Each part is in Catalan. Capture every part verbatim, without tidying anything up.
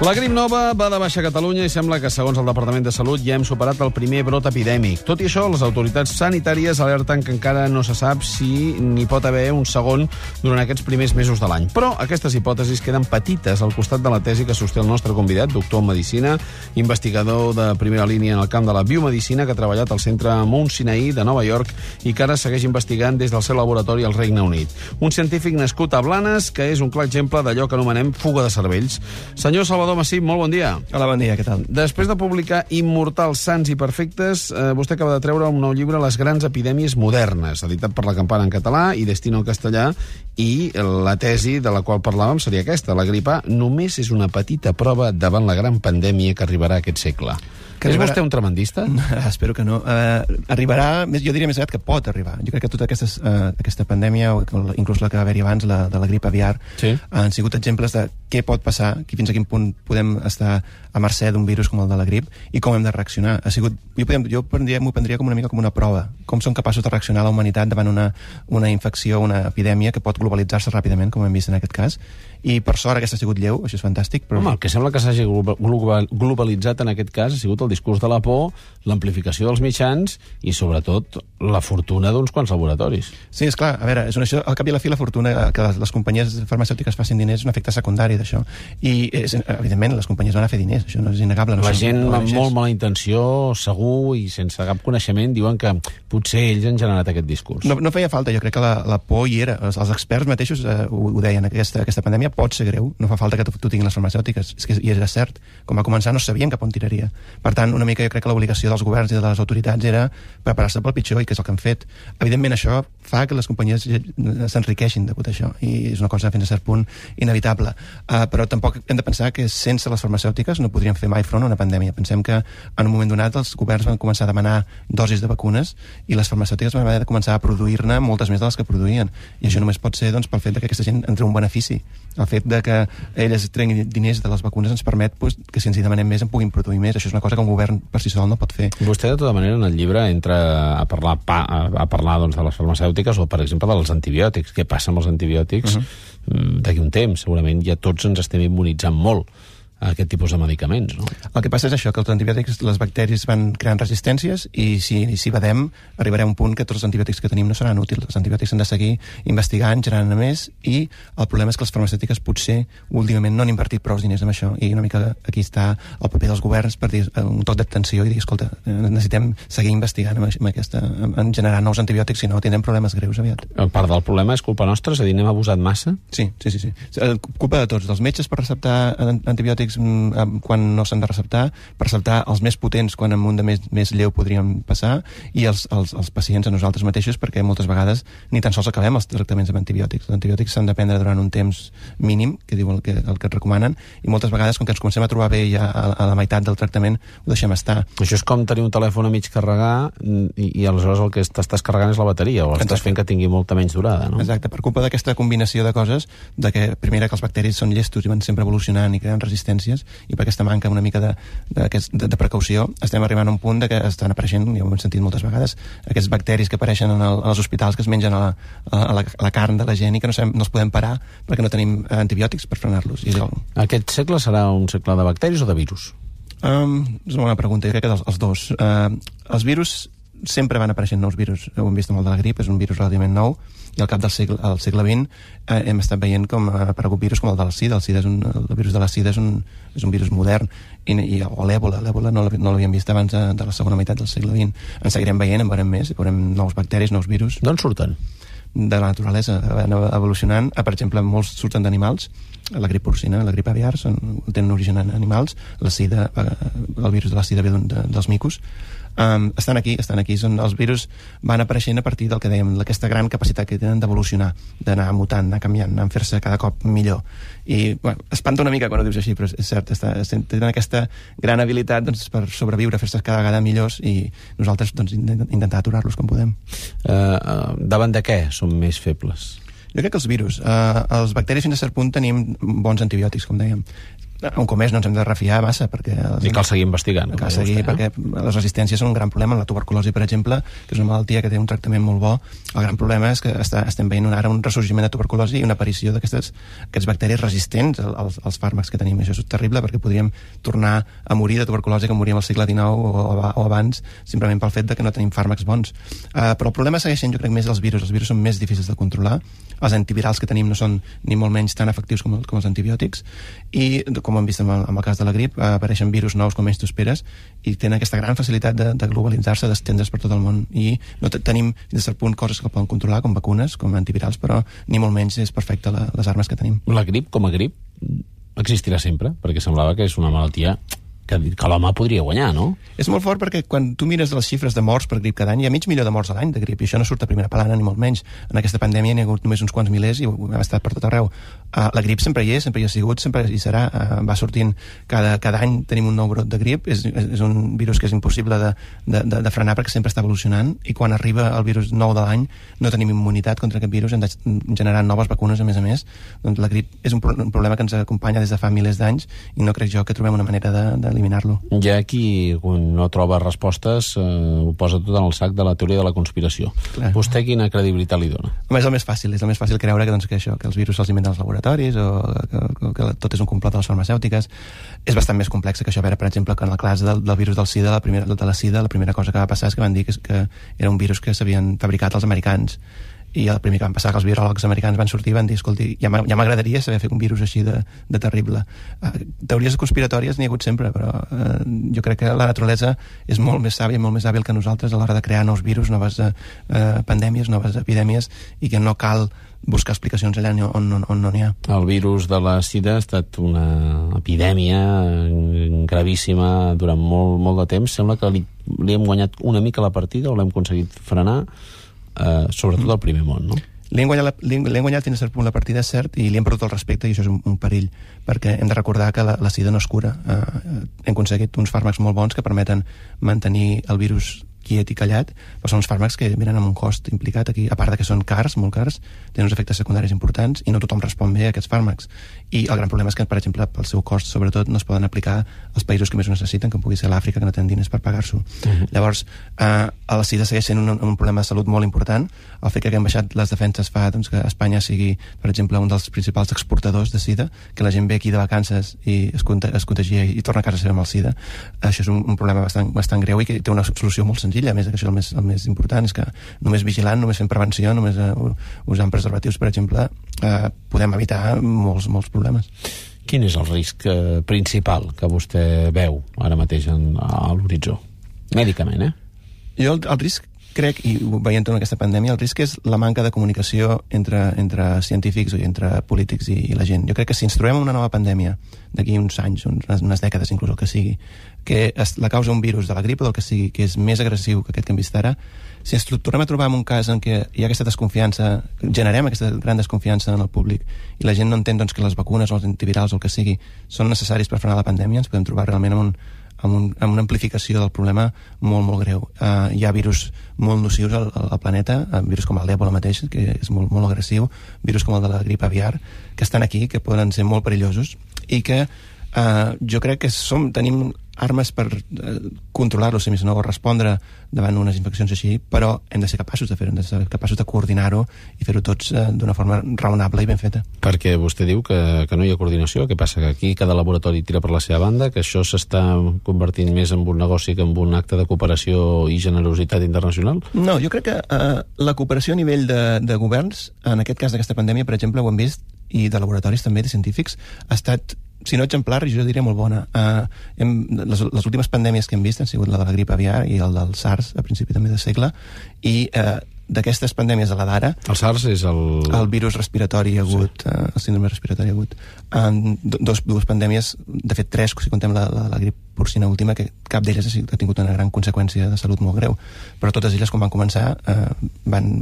La grip nova va de baixa a Catalunya i sembla que, segons el Departament de Salut, ja hem superat el primer brot epidèmic. Tot i això, les autoritats sanitàries alerten que encara no se sap si n'hi pot haver un segon durant aquests primers mesos de l'any. Però aquestes hipòtesis queden petites al costat de la tesi que sosté el nostre convidat, doctor en Medicina, investigador de primera línia en el camp de la biomedicina, que ha treballat al centre Mount Sinai de Nova York i que ara segueix investigant des del seu laboratori al Regne Unit. Un científic nascut a Blanes, que és un clar exemple d'allò que anomenem fuga de cervells. Senyor Salvador Massip, molt bon dia. Hola, bon dia, què tal? Després de publicar Immortals, Sants i Perfectes, eh, vostè acaba de treure un nou llibre, Les grans epidèmies modernes, editat per La Campana en català i Destino en castellà, i la tesi de la qual parlàvem seria aquesta: la grip A només és una petita prova davant la gran pandèmia que arribarà aquest segle. Que és arribarà... vostè un tremendista? Espero que no. Uh, arribarà, jo diria més aviat que pot arribar. Jo crec que tota aquestes, uh, aquesta pandèmia, o inclús la que va haver-hi abans, la, de la grip aviar, sí, han sigut exemples de què pot passar, fins a quin punt podem estar a mercè d'un virus com el de la grip i com hem de reaccionar. Ha sigut, jo podem, jo prendria, m'ho prendria com una mica com una prova. Com som capaços de reaccionar a la humanitat davant una, una infecció, una epidèmia que pot globalitzar-se ràpidament, com hem vist en aquest cas. I per sort aquesta ha sigut lleu, això és fantàstic. Però... Home, el que sembla que s'hagi globalitzat en aquest cas ha sigut el discurs de la por, l'amplificació dels mitjans i, sobretot, la fortuna d'uns quants laboratoris. Sí, és clar. A veure, és una, això, al cap i a la fi, la fortuna que les, les companyies farmacèutiques facin diners és un efecte secundari d'això. I, és, evidentment, les companyies van a fer diners, això no és innegable. No la som, gent no amb molt mala intenció, segur, i sense cap coneixement, diuen que potser ells han generat aquest discurs. No, no feia falta, jo crec que la, la por hi era. Els, els experts mateixos eh, ho, ho deien, aquesta, aquesta pandèmia pot ser greu, no fa falta que t'ho tinguin les farmacèutiques, és que, i és cert, com va començar no sabien cap on tiraria. Per tant, una mica jo crec que l'obligació dels governs i de les autoritats era preparar-se pel pitjor, i que és el que han fet. Evidentment això fa que les companyies s'enriqueixin degut a això, i és una cosa fins a cert punt inevitable. Uh, però tampoc hem de pensar que sense les farmacèutiques no podríem fer mai front a una pandèmia. Pensem que en un moment donat els governs van començar a demanar dosis de vacunes i les farmacèutiques van haver de començar a produir-ne moltes més de les que produïen, i això només pot ser doncs, pel fet de que aquesta gent en treu un benefici. El fet de que elles treguin diners de les vacunes ens permet pues, que si ens hi demanem més en puguin produir més. Això és una cosa que un govern per si sol no pot fer. Vostè, de tota manera, en el llibre entra a parlar, pa, a parlar doncs, de les farmacèutiques o, per exemple, dels antibiòtics. Què passa amb els antibiòtics? Uh-huh. D'aquí un temps, segurament ja tots ens estem immunitzant molt a aquest tipus de medicaments, no? El que passa és això, que els antibiòtics, les bacteris van creant resistències i si, si badem, arribarà un punt que tots els antibiòtics que tenim no seran útils. Els antibiòtics s'han de seguir investigant, generant més, i el problema és que les farmacèutiques potser últimament no han invertit prou diners en això, i una mica aquí està el paper dels governs per dir un toc d'atenció i dir, escolta, necessitem seguir investigant en, aquesta, en generar nous antibiòtics, si no tindrem problemes greus aviat. Part del problema és culpa nostra? És a dir, n'hem abusat massa? Sí, sí, sí, sí. Culpa de tots, dels metges per receptar antibiòtics quan no s'han de receptar, per receptar els més potents quan en un de més, més lleu podríem passar, i els, els, els pacients a nosaltres mateixos, perquè moltes vegades ni tan sols acabem els tractaments amb antibiòtics. Els antibiòtics s'han de prendre durant un temps mínim, que diu el que, el que et recomanen, i moltes vegades, com que ens comencem a trobar bé ja a, a la meitat del tractament, ho deixem estar. Això és com tenir un telèfon a mig carregar i, i aleshores el que t'estàs carregant és la bateria, o estàs fent que tingui molta menys durada, no? Exacte, per culpa d'aquesta combinació de coses, de que primera que els bacteris són llestos i van sempre evolucionant i creant resistències, i per aquesta manca una mica de, de, de, de precaució estem arribant a un punt de que estan apareixent, ja ho hem sentit moltes vegades, aquests bacteris que apareixen en el, als hospitals, que es mengen a la, a la, a la carn de la gent i que no, sabem, no els podem parar perquè no tenim antibiòtics per frenar-los. I el... Aquest segle serà un segle de bacteris o de virus? Um, és una bona pregunta, jo crec que els, els dos. Uh, els virus sempre van apareixent nous virus, ho hem vist amb el de la grip, és un virus relativament nou, i al cap del segle, al segle vint eh, hem estat veient com ha aparegut virus com el de la sida. El, sida és un, el virus de la sida és un, és un virus modern, i, i, o l'èbola, l'èbola no l'havíem vist abans de, de la segona meitat del segle vint. En seguirem veient, en veurem més, veurem nous bacteris, nous virus. D'on surten? De la naturalesa, van evolucionant. Per exemple, molts surten d'animals, la grip porcina, la grip aviar, són, tenen origen en animals, la sida, el virus de la sida ve de, dels micos. Um, estan aquí, estan aquí, són, els virus van apareixent a partir del que dèiem, d'aquesta gran capacitat que tenen d'evolucionar, d'anar mutant, anar canviant, anar fer-se cada cop millor. I, bueno, espanta una mica quan ho dius així, però és cert, està, tenen aquesta gran habilitat doncs, per sobreviure, fer-se cada vegada millors, i nosaltres doncs, intentar aturar-los com podem. Uh, uh, davant de què som més febles? Jo crec que els virus. Uh, els bacteris fins a cert punt tenim bons antibiòtics, com dèiem. un cop més no ens hem de refiar massa, perquè... I cal seguir investigant. Cal seguir, vostè, perquè eh? les resistències són un gran problema. La tuberculosi, per exemple, que és una malaltia que té un tractament molt bo, el gran problema és que està, estem veient ara un ressorgiment de tuberculosi i una aparició d'aquestes bacteris resistents als, als fàrmacs que tenim. Això és terrible, perquè podríem tornar a morir de tuberculosi que moríem al segle dinou o, o abans, simplement pel fet de que no tenim fàrmacs bons. Uh, però el problema segueixen, jo crec, més els virus. Els virus són més difícils de controlar. Els antivirals que tenim no són ni molt menys tan efectius com, com els antibiòtics, i com hem vist amb el, amb el cas de la grip, eh, apareixen virus nous com menys t'ho esperes i tenen aquesta gran facilitat de, de globalitzar-se, d'estendre's per tot el món, i no tenim fins a cert punt coses que poden controlar, com vacunes, com antivirals, però ni molt menys és perfecte la, les armes que tenim. La grip, com a grip, existirà sempre, perquè semblava que és una malaltia que, que l'home podria guanyar, no? És molt fort perquè quan tu mires les xifres de morts per grip cada any, hi ha mig milió de morts a l'any de grip, i això no surt a primera plana ni molt menys. En aquesta pandèmia n'hi ha hagut només uns quants milers i ha estat per tot arreu. Uh, la grip sempre hi és, sempre hi ha sigut, sempre hi serà. Uh, va sortint cada, cada any tenim un nou brot de grip. És, és un virus que és impossible de, de, de, de frenar perquè sempre està evolucionant, i quan arriba el virus nou de l'any no tenim immunitat contra aquest virus, hem de generar noves vacunes a més a més. Doncs la grip és un, pro un problema que ens acompanya des de fa milers d'anys, i no crec jo que trobem una manera d'eliminar-lo. Hi ha qui, quan no troba respostes, eh, ho posa tot en el sac de la teoria de la conspiració. Clar. Vostè quina credibilitat li dona? Home, és el més fàcil, és el més fàcil creure que, doncs, que això, que els virus se'ls inventen als laboratoris, o que, que, que tot és un complot de les farmacèutiques. És bastant més complex que això. A veure, per exemple, que en la classe del, del virus del SIDA, la primera, de la SIDA, la primera cosa que va passar és que van dir que, que era un virus que s'havien fabricat els americans, i el primer que van passar, que els viròlegs americans van sortir i van dir, escolti, ja m'agradaria saber fer un virus així de, de terrible. Uh, teories conspiratòries n'hi ha hagut sempre, però uh, jo crec que la naturalesa és molt més sàvia, molt més hàbil que nosaltres a l'hora de crear nous virus, noves uh, pandèmies, noves epidèmies, i que no cal buscar explicacions allà on, on, on no n'hi ha. El virus de la SIDA ha estat una epidèmia gravíssima durant molt, molt de temps. Sembla que li, li hem guanyat una mica la partida, o l'hem aconseguit frenar, Uh, sobretot al primer món, no? Li hem guanyat, li hem, li hem guanyat fins a cert punt la partida, és cert, i li hem perdut el respecte, i això és un, un perill, perquè hem de recordar que la, la SIDA no es cura. Uh, hem aconseguit uns fàrmacs molt bons que permeten mantenir el virus quiet i callat, però són uns fàrmacs que venen amb un cost implicat aquí, a part de que són cars, molt cars, tenen uns efectes secundaris importants, i no tothom respon bé a aquests fàrmacs. I el gran problema és que, per exemple, pel seu cost, sobretot, no es poden aplicar als països que més ho necessiten, com pugui ser l'Àfrica, que no tenen diners per pagar-s'ho. Uh-huh. Llavors, eh, a la SIDA segueix sent un, un problema de salut molt important. El fet que haguem baixat les defenses fa, doncs, que Espanya sigui, per exemple, un dels principals exportadors de SIDA, que la gent ve aquí de vacances i es, conta, es contagia i torna a casa seva amb el SIDA. Això és un, un problema bastant, bastant greu, i que té una solució molt senzilla. A més, que això el més, el més important és que només vigilant, només fent prevenció, només uh, usant preservatius, per exemple, uh, podem evitar molts, molts problemes. Quin és el risc eh, principal que vostè veu ara mateix en, a l'horitzó? Mèdicament, eh? Jo el, el risc, crec, i ho veiem en aquesta pandèmia, el risc és la manca de comunicació entre, entre científics i entre polítics i, i la gent. Jo crec que si ens trobem una nova pandèmia d'aquí uns anys, unes, unes dècades inclús, el que sigui, que es, la causa un virus de la grip o del que sigui, que és més agressiu que aquest que hem vist ara, si ens tornem a trobar en un cas en què hi ha aquesta desconfiança, generem aquesta gran desconfiança en el públic, i la gent no entén, doncs, que les vacunes o els antivirals o el que sigui són necessaris per frenar la pandèmia, ens podem trobar realment amb, un, amb, un, amb una amplificació del problema molt, molt greu. Uh, hi ha virus molt nocius al, al planeta, uh, virus com el d'Ebola mateix, que és molt, molt agressiu, virus com el de la grip aviar, que estan aquí, que poden ser molt perillosos, i que uh, jo crec que som, tenim armes per eh, controlar-lo, si més no, o respondre davant unes infeccions així, però hem de ser capaços de fer-ho, hem de ser capaços de coordinar-ho i fer-ho tots eh, d'una forma raonable i ben feta. Perquè vostè diu que, que no hi ha coordinació, què passa? Que aquí cada laboratori tira per la seva banda, que això s'està convertint més en un negoci que en un acte de cooperació i generositat internacional? No, jo crec que eh, la cooperació a nivell de, de governs, en aquest cas d'aquesta pandèmia, per exemple, ho hem vist, i de laboratoris també, de científics, ha estat, si no exemplar, jo diria molt bona. Uh, hem, les, les últimes pandèmies que hem vist han sigut la de la grip aviar i el del SARS, a principi també de segle, i uh, d'aquestes pandèmies de la d'ara... El SARS és el... El virus respiratori agut, sí. uh, el síndrome respiratori agut. Um, dos, dues pandèmies, de fet tres, si contem la, la, la grip porcina última, que cap d'elles ha tingut una gran conseqüència de salut molt greu. Però totes elles, quan van començar, uh, van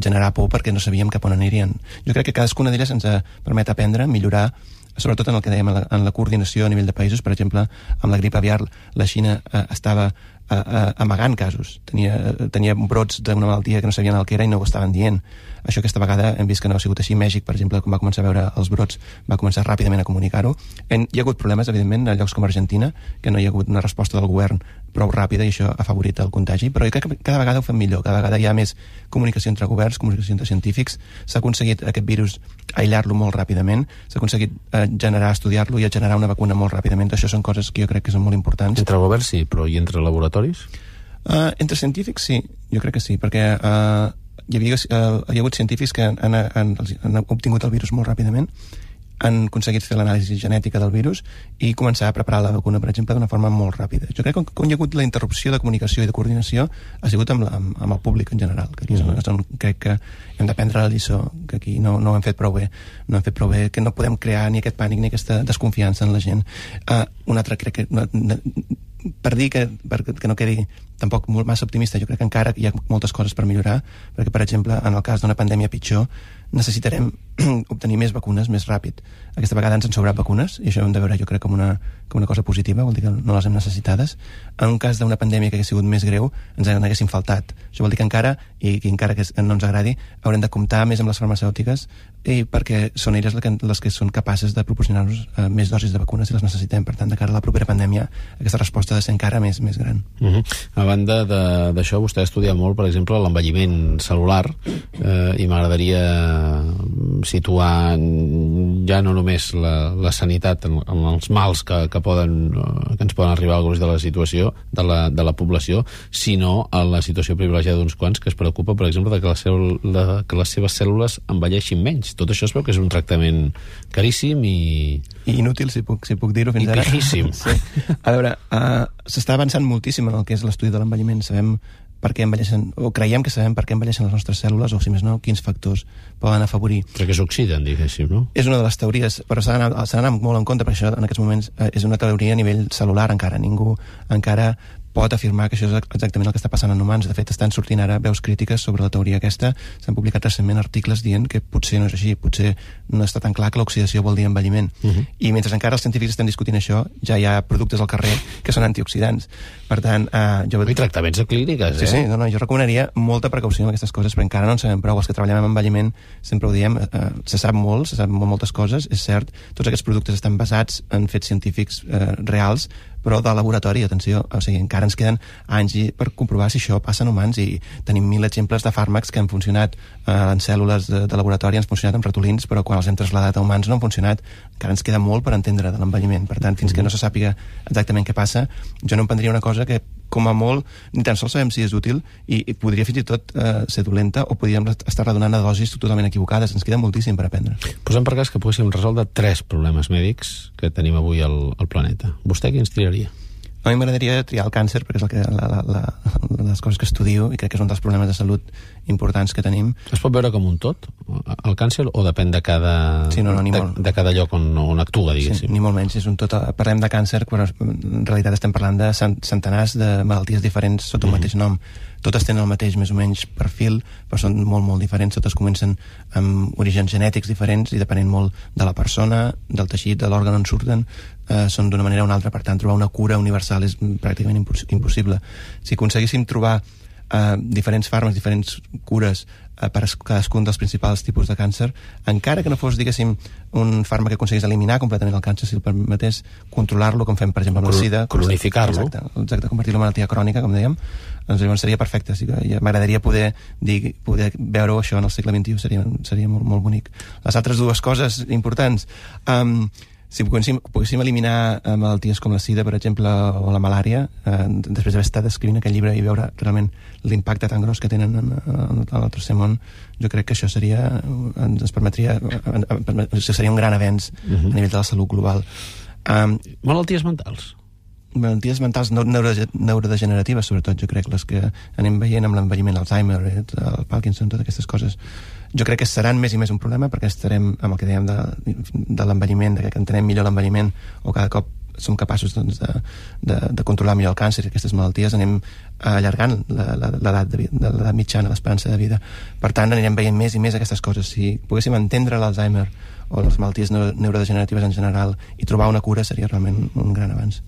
generar por perquè no sabíem cap on anirien. Jo crec que cadascuna d'elles ens permet aprendre, millorar, sobretot en el que dèiem, en la, en la coordinació a nivell de països. Per exemple, amb la grip aviar, la Xina eh, estava a, a, amagant casos. Tenia, tenia brots d'una malaltia que no sabien el que era i no ho estaven dient. Això aquesta vegada hem vist que no ha sigut així. Mèxic, per exemple, quan va començar a veure els brots, va començar ràpidament a comunicar-ho. Hi ha hagut problemes, evidentment, a llocs com Argentina, que no hi ha hagut una resposta del govern prou ràpida i això ha afavorit el contagi, però jo crec que cada vegada ho fem millor, cada vegada hi ha més comunicació entre governs, comunicació entre científics, s'ha aconseguit aquest virus aïllar-lo molt ràpidament, s'ha aconseguit eh, generar, estudiar-lo i generar una vacuna molt ràpidament. Això són coses que jo crec que són molt importants. Entre governs sí, però i entre laboratoris? Uh, entre científics sí, jo crec que sí, perquè uh, hi, havia, uh, hi ha hagut científics que han, han, han obtingut el virus molt ràpidament, han aconseguit fer l'anàlisi genètica del virus i començar a preparar la vacuna, per exemple, d'una forma molt ràpida. Jo crec que quan hi ha hagut la interrupció de comunicació i de coordinació ha sigut amb, la, amb, amb el públic en general, que aquí és on, on crec que hem de prendre la lliçó, que aquí no, no ho hem fet prou bé, no hem fet prou bé, que no podem crear ni aquest pànic ni aquesta desconfiança en la gent. Uh, un altre, crec que... Una, una, per dir que, per, que no quedi tampoc molt massa optimista, jo crec que encara hi ha moltes coses per millorar, perquè, per exemple, en el cas d'una pandèmia pitjor, necessitarem obtenir més vacunes més ràpid. Aquesta vegada ens han sobrat vacunes, i això ho hem de veure, jo crec, com una, com una cosa positiva, vol dir que no les hem necessitades. En un cas d'una pandèmia que hagués sigut més greu, ens n'haguessin faltat. Això vol dir que encara, i que encara que no ens agradi, haurem de comptar més amb les farmacèutiques, i perquè són elles les que, les que són capaces de proporcionar-nos uh, més dosis de vacunes si les necessitem. Per tant, de cara a la propera pandèmia, aquesta resposta ha de ser encara més, més gran. Uh-huh. A banda d'això, vostè ha estudiat molt, per exemple, l'envelliment celular, eh, i m'agradaria situar ja no només la, la sanitat en, en els mals que, que, poden, que ens poden arribar al gruix de la situació de la, de la població, sinó a la situació privilegiada d'uns quants que es preocupa, per exemple, de que, la seu, la, que les seves cèl·lules envelleixin menys. Tot això es veu que és un tractament caríssim i... I inútil, si puc, si puc dir-ho fins ara. I pijíssim. Sí. A veure, uh, s'està avançant moltíssim en el que és l'estudi de l'envelliment. Sabem per què envelleixen, o creiem que sabem per què envelleixen les nostres cèl·lules, o si més no, quins factors poden afavorir. Perquè s'oxiden, diguéssim, no? És una de les teories, però s'ha d'anar molt en compte, perquè això en aquests moments eh, és una teoria a nivell celular encara. Ningú encara pot afirmar que això és exactament el que està passant en humans. De fet, estan sortint ara veus crítiques sobre la teoria aquesta. S'han publicat recentment articles dient que potser no és així, potser no està tan clar que l'oxidació vol dir envelliment. Uh-huh. I mentre encara els científics estan discutint això, ja hi ha productes al carrer que són antioxidants. Per tant, eh, jo... I tractaments clínics, eh? Sí, sí, no, no, jo recomanaria molta precaució amb aquestes coses, perquè encara no en sabem prou. Els que treballem amb envelliment sempre ho diem, eh, se sap molt, se sap moltes coses, és cert, tots aquests productes estan basats en fets científics eh, reals, però de laboratori, atenció, o sigui, encara ens queden anys per comprovar si això passa en humans, i tenim mil exemples de fàrmacs que han funcionat eh, en cèl·lules de, de laboratori, han funcionat en ratolins, però quan els hem traslladat a humans no han funcionat. Encara ens queda molt per entendre de l'envelliment. Per tant, fins que no se sàpiga exactament què passa, jo no em prendria una cosa que, com a molt, ni tan sols sabem si és útil, i, i podria fins i tot eh, ser dolenta, o podríem estar redonant a dosis totalment equivocades. Ens queda moltíssim per aprendre. Posem per cas que poguéssim resoldre tres problemes mèdics que tenim avui al, al planeta. Vostè quins triaria? A mi m'agradaria triar el càncer, perquè és el que, la, la, la, les coses que estudio, i crec que és un dels problemes de salut importants que tenim. Es pot veure com un tot, el càncer, o depèn de cada, sí, no, no, de, de cada lloc on, on actua, diguéssim? Sí, ni molt menys, és un tot. Parlem de càncer, però en realitat estem parlant de centenars de malalties diferents sota un mm. mateix nom. Totes tenen el mateix, més o menys, perfil, però són molt, molt diferents. Totes comencen amb orígens genètics diferents i depenent molt de la persona, del teixit, de l'òrgan on surten, eh, són d'una manera o una altra. Per tant, trobar una cura universal és pràcticament impossible. Si aconseguíssim trobar eh, diferents fàrmacs, diferents cures eh, per cadascun dels principals tipus de càncer, encara que no fos, diguéssim, un fàrmac que aconseguís eliminar completament el càncer, si el permetés controlar-lo, com fem, per exemple, amb la sida. Cronificar-lo. Exacte, exacte, convertir-lo en malaltia crònica, com dèiem, doncs llavors seria perfecte. Sí, m'agradaria poder, dir, poder veure això en el segle vint-i-u, seria, seria molt, molt bonic. Les altres dues coses importants, um, si poguéssim, poguéssim eliminar eh, malalties com la sida, per exemple, o la malària, eh, després d'haver estat escrivint aquest llibre i veure realment l'impacte tan gros que tenen en, en, en el tercer món, jo crec que això seria, ens permetria, seria un gran avenç uh-huh. a nivell de la salut global. Um, malalties mentals? Malalties mentals neuro, neurodegeneratives, sobretot, jo crec, les que anem veient amb l'envelliment, l'Alzheimer, el Parkinson, totes aquestes coses. Jo crec que seran més i més un problema, perquè estarem amb el que dèiem de, de l'envelliment, de que entenem millor l'envelliment, o cada cop som capaços doncs, de, de, de controlar millor el càncer i aquestes malalties, anem allargant l'edat de, de l'edat mitjana, l'esperança de vida. Per tant, anirem veient més i més aquestes coses. Si poguéssim entendre l'Alzheimer o les malalties neurodegeneratives en general i trobar una cura, seria realment un gran avanç.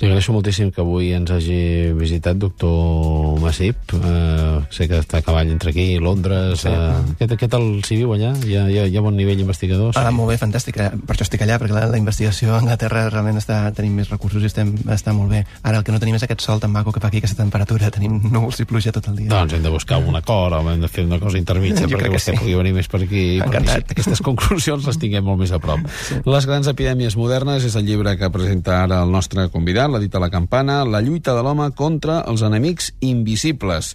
Li agraeixo moltíssim que avui ens hagi visitat, doctor Masip. Uh, sé que està a cavall entre aquí i Londres. Sí. Uh, què, què tal s'hi viu allà? Hi ha, hi ha, hi ha bon nivell investigador? Ah, molt bé, fantàstic. Per això estic allà, perquè la, la investigació a Anglaterra realment està, tenim més recursos i estem, està molt bé. Ara el que no tenim és aquest sol tan maco que fa aquí, aquesta temperatura. Tenim núvols i pluja tot el dia. Doncs hem de buscar un acord o hem de fer una cosa intermitja perquè vostè sí. pugui venir més per aquí. Encantat. Perquè aquestes conclusions les tinguem molt més a prop. Sí. Les grans epidèmies modernes és el llibre que presenta ara el nostre convidat, l'ha dit a la campana, La lluita de l'home contra els enemics invisibles.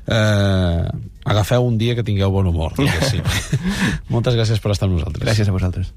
Eh, agafeu un dia que tingueu bon humor. Sí. Moltes gràcies per estar amb nosaltres. Gràcies a vosaltres.